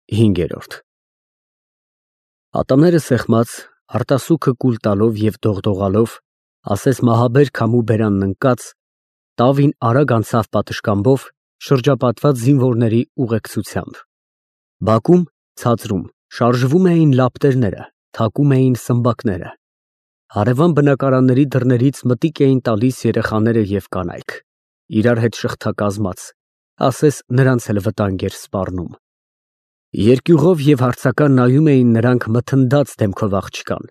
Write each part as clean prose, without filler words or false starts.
5։ Ատամները սեղմած, արտասուքը կուլ տալով և դողդողալով, ասես մահաբեր քամու բերանն ընկած, տավին արագ անցավ պատշգամբով, շրջապատված զինվորների ուղեկցությամբ։ Բակում, ցածրում, շարժվում էին լապտերները, թակում էին սմբակները։ Հարևան բնակարանների դռներից մտիկ էին տալիս երեխաները և կանայք, իրար հետ շղթակազմած, ասես նրանց էլ վտանգ էր սպառնում։ Երկյուղով և հարցական նայում էին նրանք մթնդած դեմքով աղջկան։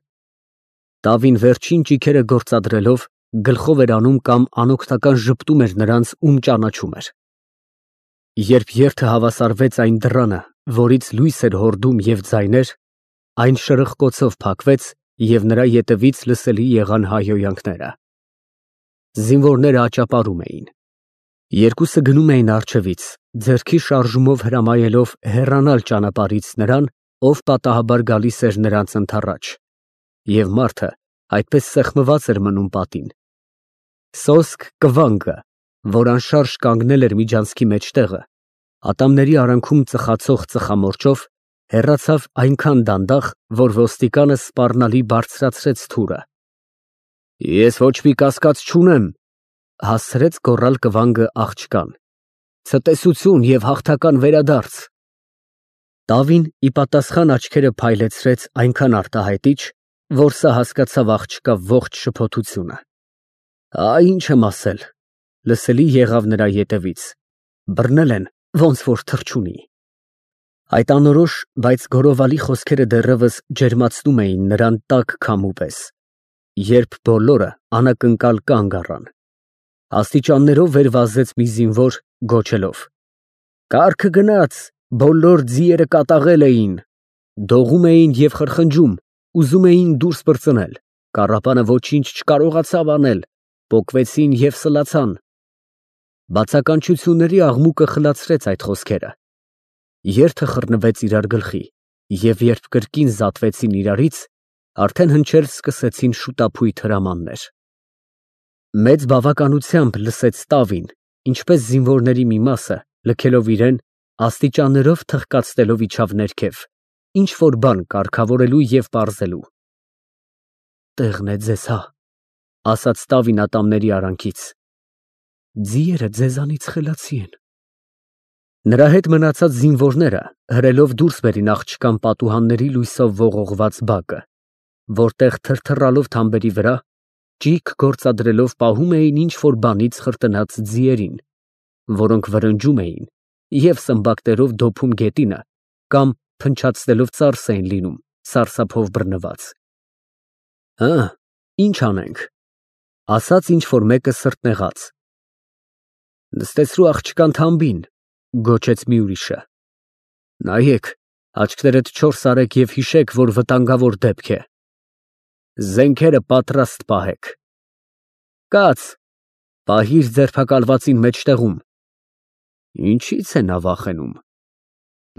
Տավին վերջին ճիգերը գործադրելով, գլխով էր անում կամ անօգնական ժպտում էր նրանց, ում ճանաչում էր։ Երբ երթը հավասարվեց այն դռանը, որից լույս էր հորդում և ձայներ, այն շրխկոցով փակվեց և նրա ետևից լսելի եղան հայհոյանքները։ Զինվորները աճապարում էին։ Երկուսը գնում էին առջևից, ձեռքի շարժումով հրամայելով հեռանալ ճանապարհից նրան, ով պատահաբար գալիս էր նրանց ընդառաջ, և մարդը այդպես սեղմված էր մնում պատին։ Սոսկ կվանգը, որ անշարժ կանգնել էր միջանցքի մեջտեղը, ատամների արանքում ծխացող ծխամորճով, հեռացավ այնքան դանդաղ, որ ոստիկանը սպառնալի բարձրացրեց թուրը։ Ես ոչ մի կասկած չունեմ, հասցրեց գոռալ կվանգը աղջկան, ցտեսություն և հաղթական վերադարձ։ Տավին ի պատասխան աչքերը փայլեցրեց այնքան արտահայտիչ, որ սա հասկացավ աղջկա ողջ շփոթությունը։ Ինչ եմ ասել, լսելի եղավ նրա ետևից, բռնել են, ոնց որ թռչունի։ Այդ անորոշ, բայց գոռովալի խոսքերը դեռևս ջերմացնում էին նրան տաք քամու պես, երբ բոլորը անակնկալ կանգ առան։ Աստիճաններով վեր վազեց մի զինվոր, գոչելով. «Կառքը գնաց, բոլոր ձիերը կատաղել էին»։ Դողում էին և խրխնջում, ուզում էին դուրս պրծնել, կառապանը ոչինչ չկարողացավ անել, պոկվեցին և սլացան։ Բացականչությունների աղմուկը խլացրեց այդ խոսքերը։ Երթը խռնվեց իրար գլխի, և երբ կրկին զատվեցին իրարից, արդեն հնչել սկսեցին շուտափույթ հրամաններ։ Մեծ բավականությամբ լսեց Տավին, ինչպես զինվորների մի մասը, լքելով իրեն, աստիճաններով թխկացնելով իջավ ներքև, ինչ֊որ բան կարգավորելու և պարզելու։ Տեղն է ձեզ, հա, ասաց Տավին ատամների արանքից, ձիերը ձեզանից խելացի են։ Նրա հետ մնացած զինվորները հրելով դուրս բերին աղջկան պատուհանների լույսով ողողված բակը, որտեղ թրթռալով թամբերի վրա, ճիգ գործադրելով պահում էին ինչ֊որ բանից խրտնած ձիերին, որոնք վրնջում էին և սմբակներով դոփում գետինը կամ փնչացնելով ծարս էին լինում, սարսափով բռնված։ Ինչ անենք, ասաց ինչ֊որ մեկը սրտնեղած։ Նստեցրու աղջկան թամբին, գոչեց մի ուրիշը։ Նայեք, աչքներդ չորս արեք և հիշեք, որ վտանգավոր դեպք է։ Զենքերը պատրաստ պահեք։ Կաց, պահիր ձերբակալվածին մեջտեղում։ Ինչի՞ց է նա վախենում։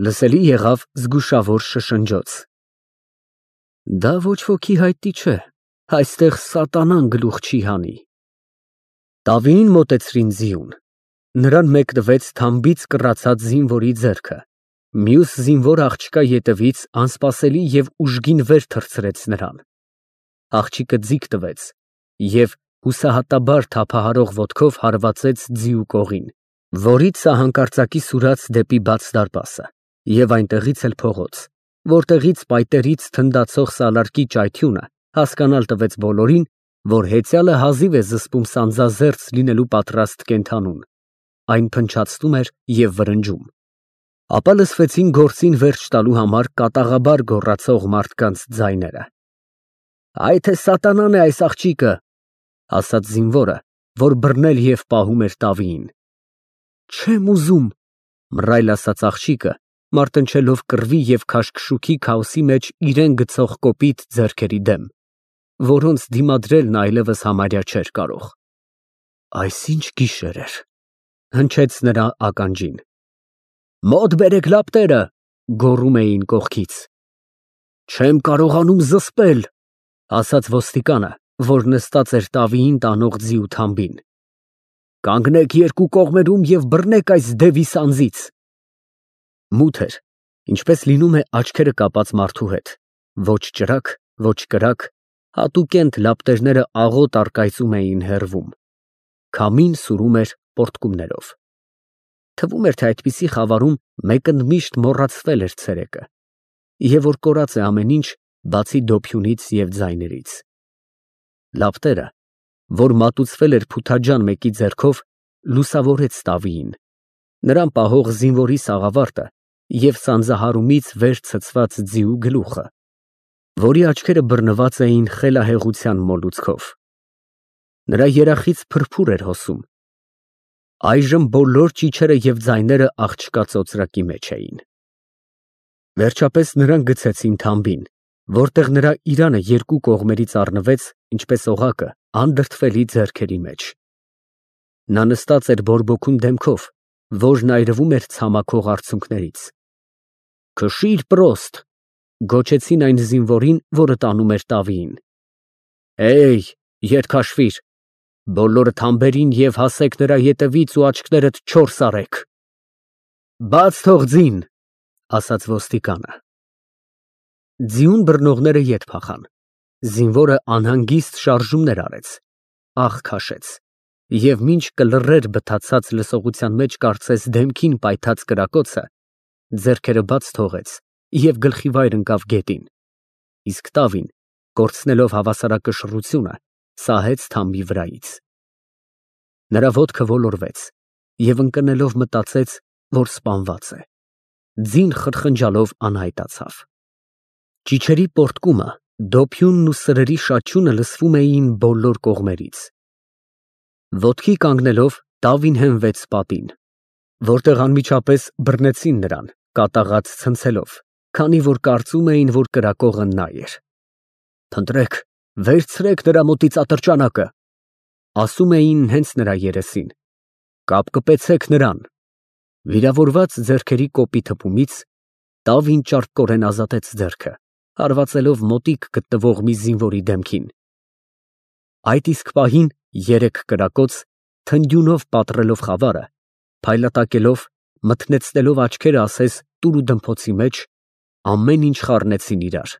Լսելի եղավ զգուշավոր շշնջոց։ Դա ոչ ոքի հայտնի չէ, այստեղ սատանան գլուխ չի հանի։ Տավիին մոտեցրին ձիուն։ Նրան մեկնվեց թամբից կռացած զինվորի ձեռքը, մյուս զինվոր աղջկա ետևից անսպասելի և ուժգին վեր թռցրեց նրան։ Աղջիկը ձիգ տվեց և հուսահատաբար թափահարող ոտքով հարվածեց ձիու կողին, որից սահանկարծակի սուրաց դեպի բաց դարպասը և այնտեղից էլ փողոց, որտեղից պայտերից թնդացող սալարկի ճայթյունը հասկանալ տվեց բոլորին, որ հեծյալը հազիվ է զսպում սանձազերծ լինելու պատրաստ կենդանուն, այն փնչացնում էր և վրնջում։ Ապա լսվեցին գործին վերջ տալու համար կատաղաբար գոռացող մարդկանց ձայները։ Այ թե սատանան է այս աղջիկը, ասաց զինվորը, որ բռնել և պահում էր Տավիին։ Չեմ ուզում, մռայլ ասաց աղջիկը, մարտնչելով կռվի և քաշքշուքի քաոսի մեջ իրեն գցող կոպիտ ձեռքերի դեմ, որոնց դիմադրելն այլևս համարյա չէր կարող։ Այսինչ գիշեր էր, հնչեց նրա ականջին։ Մոտ բերեք լապտերը, գոռում էին կողքից։ Չեմ կարողանում զսպել, ասաց ոստիկանը, որ նստած էր Տավիին տանող ձիու թամբին։ Կանգնեք երկու կողմերում և բռնեք այս դևի սանձից։ Մութ էր, Ինչպես լինում է աչքերը կապած մարդու հետ, ոչ ճրակ, ոչ կրակ, հատուկենտ լապտերները աղոտ առկայծում էին հեռվում, քամին սուրում էր պոռթկումներով։ Թվում էր, թե այդպիսի խավարում մեկը միշտ մոռացվել էր ցերեկը, և որ կորած է ամեն ինչ, բացի դոփյունից և ձայներից։ Լապտերը, որ մատուցվել էր փութաջան մեկի ձեռքով, լուսավորեց Տավիին, նրան պահող զինվորի սաղավարտը և սանձահարումից վեր ցցված ձիու գլուխը, որի աչքերը բռնված էին խելահեղության մոլուցքով։ Նրա երախից փրփուր էր հոսում։ Այժմ բոլոր ճիչերը և ձայները աղջկա ծոծրակի մեջ էին։ Վերջապես նրան գցեցին թամբին, որտեղ նրա իրանը երկու կողմերից առնվեց, ինչպես օղակը, անդրդվելի ձեռքերի մեջ։ Նա նստած էր բորբոքուն դեմքով, որն այրվում էր ցամաքող արցունքներից։ «Քշի՛ր, պրոստ», գոչեցին այն զինվորին, որը տանում էր Տավիին։ «Հեյ, ետ քաշվիր, բոլորը թամբերին և հասեք նրա ետևից ու աչքներդ չորս արեք»։ «Բաց թող ձին», ասաց ոստիկանը։ Ձիուն բռնողները ետ փախան։ Զինվորը անհանգիստ շարժումներ արեց, աղ քաշեց, և մինչ կլռեր բթացած լսողության մեջ կարծես դեմքին պայթած կրակոցը, ձեռքերը բաց թողեց և գլխիվայր ընկավ գետին, իսկ Տավին, կորցնելով հավասարակշռությունը, սահեց թամբի վրայից։ Նրա ոտքը ոլորվեց և ընկնելով մտածեց, որ սպանված է։ Ձին խրխնջալով անհայտացավ։ Ճիչերի պոռթկումը, դոփյունն ու սրերի շաչյունը լսվում էին բոլոր կողմերից։ Ոտքի կանգնելով Տավին հենվեց պատին, որտեղ անմիջապես բռնեցին նրան, կատաղած ցնցելով, քանի որ կարծում էին, որ կրակողը նա էր։ «Փնտրեք, վերցրեք նրա մոտից ատրճանակը», ասում էին հենց նրա երեսին։ «Կապկպեցեք նրան»։ Վիրավորված ձեռքերի կոպիտ հպումից Տավին ճարպկորեն ազատեց ձեռքը, հարվածելով մոտիկ գտնվող մի զինվորի դեմքին։ Այդ իսկ պահին երեք կրակոց, թնդյունով պատռելով խավարը, փայլատակելով, մթնեցնելով աչքերը ասես տուրուդմփոցի մեջ, ամեն ինչ խառնեցին իրար։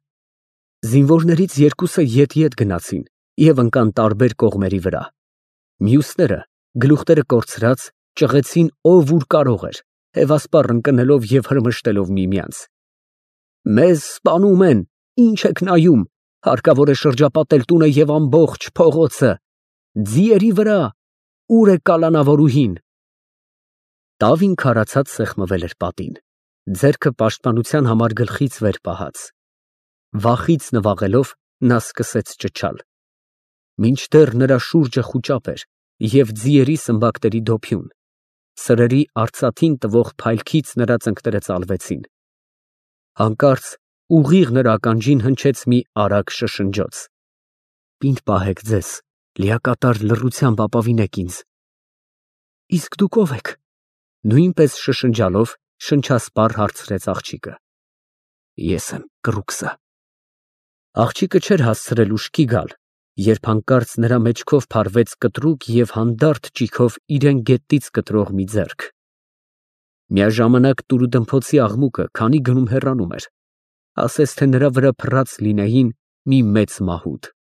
Զինվորներից երկուսը ետ գնացին և ընկան տարբեր կողմերի վրա։ Մյուսները, գլուխները կորցրած, ճղեցին ով ուր կարող էր, հևասպառ ընկնելով և հրմշտելով միմյանց։ «Մեզ սպանում են, ինչ եք նայում, հարկավոր է շրջապատել տունը և ամբողջ փողոցը։ Ձիերի վրա, ո՞ւր է կալանավորուհին»։ Տավին քարացած սեղմվել էր պատին, ձեռքը պաշտպանության համար գլխից վեր պահած։ Վախից նվաղելով նա սկսեց ճչալ։ Մինչդեռ նրա շուրջը խուճապ էր և ձիերի սմբակների դոփյուն, սրերի արծաթին տվող փայլքից նրա ծնկները ծալվեցին։ Հանկարծ ուղիղ նրա ականջին հնչեց մի արագ շշնջոց։ «Պինդ պահեք ձեզ, լիակատար լռությամբ ապավինեք ինձ»։ «Իսկ դուք ո՞վ եք», նույնպես շշնջալով շնչասպառ հարցրեց աղջիկը։ «Ես եմ կռուկսը»։ Աղջիկը չէր հասցրել ուշքի գալ, երբ հանկարծ նրա մեջքով փարվեց կտրուկ և հանդարտ ճիգով իրան գետից կտրող մի ձեռք։ Միաժամանակ տուրուդմփոցի աղմուկը քանի գնում հեռանում էր, ասես թե նրա վրա փռած լինեին մի մեծ մահուդ։